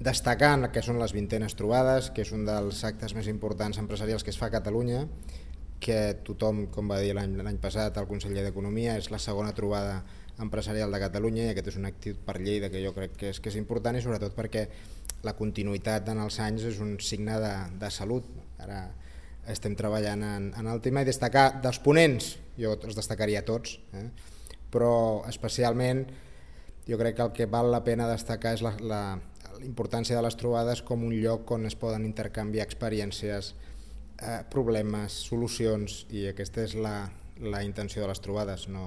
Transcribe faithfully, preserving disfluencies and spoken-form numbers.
destacant que són les vintenes trobades, que és un dels actes més importants empresarials que es fa a Catalunya, que tothom, com va dir l'any passat el conseller d'Economia, és la segona trobada empresarial de Catalunya, i aquest és un actiu per Lleida que jo crec que és, que és important, i sobretot perquè la continuïtat en els anys és un signe de, de salut. Ara estem treballant en, en el tema, i destacar dels ponents, jo els destacaria tots, eh? Però especialment jo crec que el que val la pena destacar és la, la, la importància de les trobades com un lloc on es poden intercanviar experiències, eh, problemes, solucions, i aquesta és la, la intenció de les trobades. No,